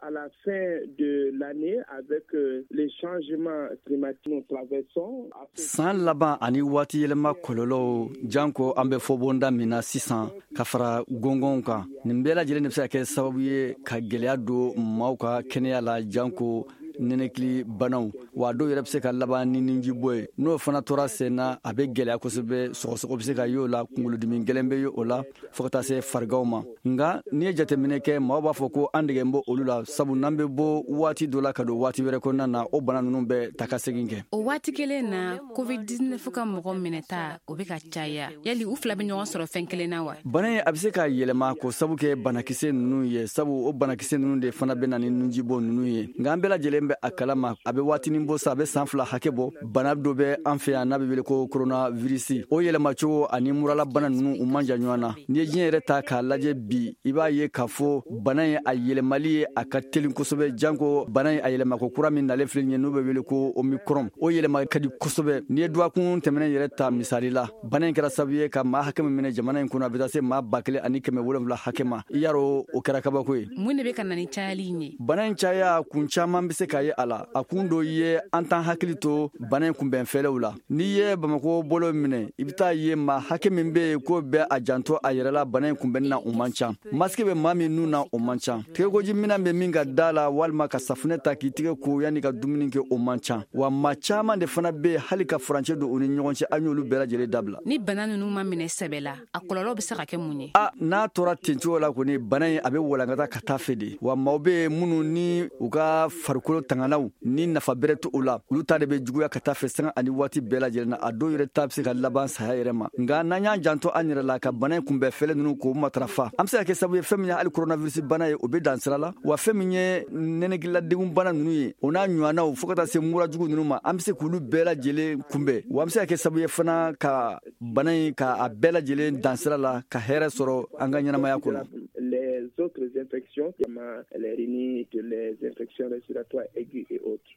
À la fin de l'année, avec les changements climatiques nous traversons. San laban ani waati yɛlɛma kɔlɔlɔw, janko an bɛ fɔbonda min na sisan, ka fara gɔngɔnw kan, nin bɛɛ lajɛlen de bɛ se ka kɛ sababu ye ka gwɛlɛya don maaw ka kɛnɛya la, janko nɛnɛkili banaw. Wa dɔw yɛrɛ bɛ se ka laban ni nujibɔ ye. N'o fana tora sen na, a bɛ gɛlɛya kosɛbɛ. Sɔgɔsɔgɔ bɛ se ka y'o la, kunkolodimi gɛlɛn bɛ ye o la, fo ka taa se fariganw ma. Nka n'i ye jateminɛ kɛ, maaw b'a fɔ ko an degen bɔ olu la, sabu n'an bɛ bɔ waati dɔ la ka don waati wɛrɛ kɔnɔna na, o bana ninnu bɛ ta ka segin kɛ. O waati kelen na, COVID-19 ka mɔgɔ minɛta, o bɛ ka caya. Yali u fila bɛ ɲɔgɔn sɔrɔ fɛn kelen na wa? Bana in, a bɛ se ka yɛlɛma k'o sabu kɛ banakisɛ ninnu ye, sabu o banakisɛ ninnu de fana bɛ na ni nujibɔ ninnu ye. Nka an bɛɛ lajɛlen bɛ a kalama, a bɛ waatinin bɔ sa, a bɛ san 2 hakɛ bɔ, bana dɔ bɛ an fɛ yan n'a bɛ wele ko coronavirus. O yɛlɛmacogo ani muralabana ninnu, u man jan ɲɔgɔn na. N'i ye diɲɛ yɛrɛ ta k'a lajɛ bi, i b'a ye k'a fɔ bana in, a yɛlɛmali ye, a ka teli kosɛbɛ, janko bana in a yɛlɛmako kura min nalen filɛ nin ye, n'o bɛ wele ko Omicron, o yɛlɛma ka di kosɛbɛ. N'i ye dɔgɔkun tɛmɛnen yɛrɛ ta misali la, bana in kɛra sababu ye ka maa hakɛ min minɛ jamana in kɔnɔ, a bɛ taa se maa 1700 hakɛ ma. I y'a dɔn, o kɛra kabako ye. Mun de bɛ ka na ni cayali in ye? Bana in caya kun caman bɛ se ka ye a la. A kun dɔ ye, an t'an hakili to bana in kunbɛn fɛlɛw la. N'i ye Bamako bolo minɛ, i bɛ taa ye maa hakɛ min bɛ yen k'o bɛ a janto a yɛrɛ la bana in kunbɛnni na, o man ca. Masque bɛ maa min nun na, o man ca. Tɛgɛkoji minɛn bɛ min ka da la, walima ka safunɛ ta k'i tɛgɛ ko yanni ka dumuni kɛ, o man ca. Wa maa caman de fana bɛ yen, hali ka furancɛ don u ni ɲɔgɔn cɛ, an y'olu bɛɛ lajɛlen dabila. Ni bana ninnu ma minɛ sɛbɛ la, a kɔlɔlɔ bɛ se ka kɛ mun ye? A n'a tora ten cogo la kɔni, bana in, a bɛ walankata ka taa fɛ de. Wa maaw bɛ yen minnu ni u ka farikolo tanganaw ni nafa bɛrɛ to u la, olu ta de bɛ juguya ka taa fɛ sanga ani waati bɛɛ lajɛlen na. A dɔw yɛrɛ ta bɛ se ka laban saya yɛrɛ ma. Nka n'an y'an janto an yɛrɛ la ka bana in kunbɛn fɛlɛ ninnu k'o matarafa, an bɛ se ka kɛ sababu ye, fɛn min ye hali coronavirus bana ye, o bɛ dan sira la. Wa fɛn min ye nɛnɛkililadegun bana ninnu ye, o n'a ɲɔgɔnnaw, fo ka taa se murajugu ninnu ma, an bɛ se k'olu bɛɛ lajɛlen kunbɛn. Wa an bɛ se ka kɛ sababu ye fana ka bana in, ka a bɛɛ lajɛlen dan sira la, ka hɛrɛ sɔrɔ an ka ɲɛnamaya kɔnɔ. Les autres infections, les rhinites, les infections respiratoires aiguës et autres.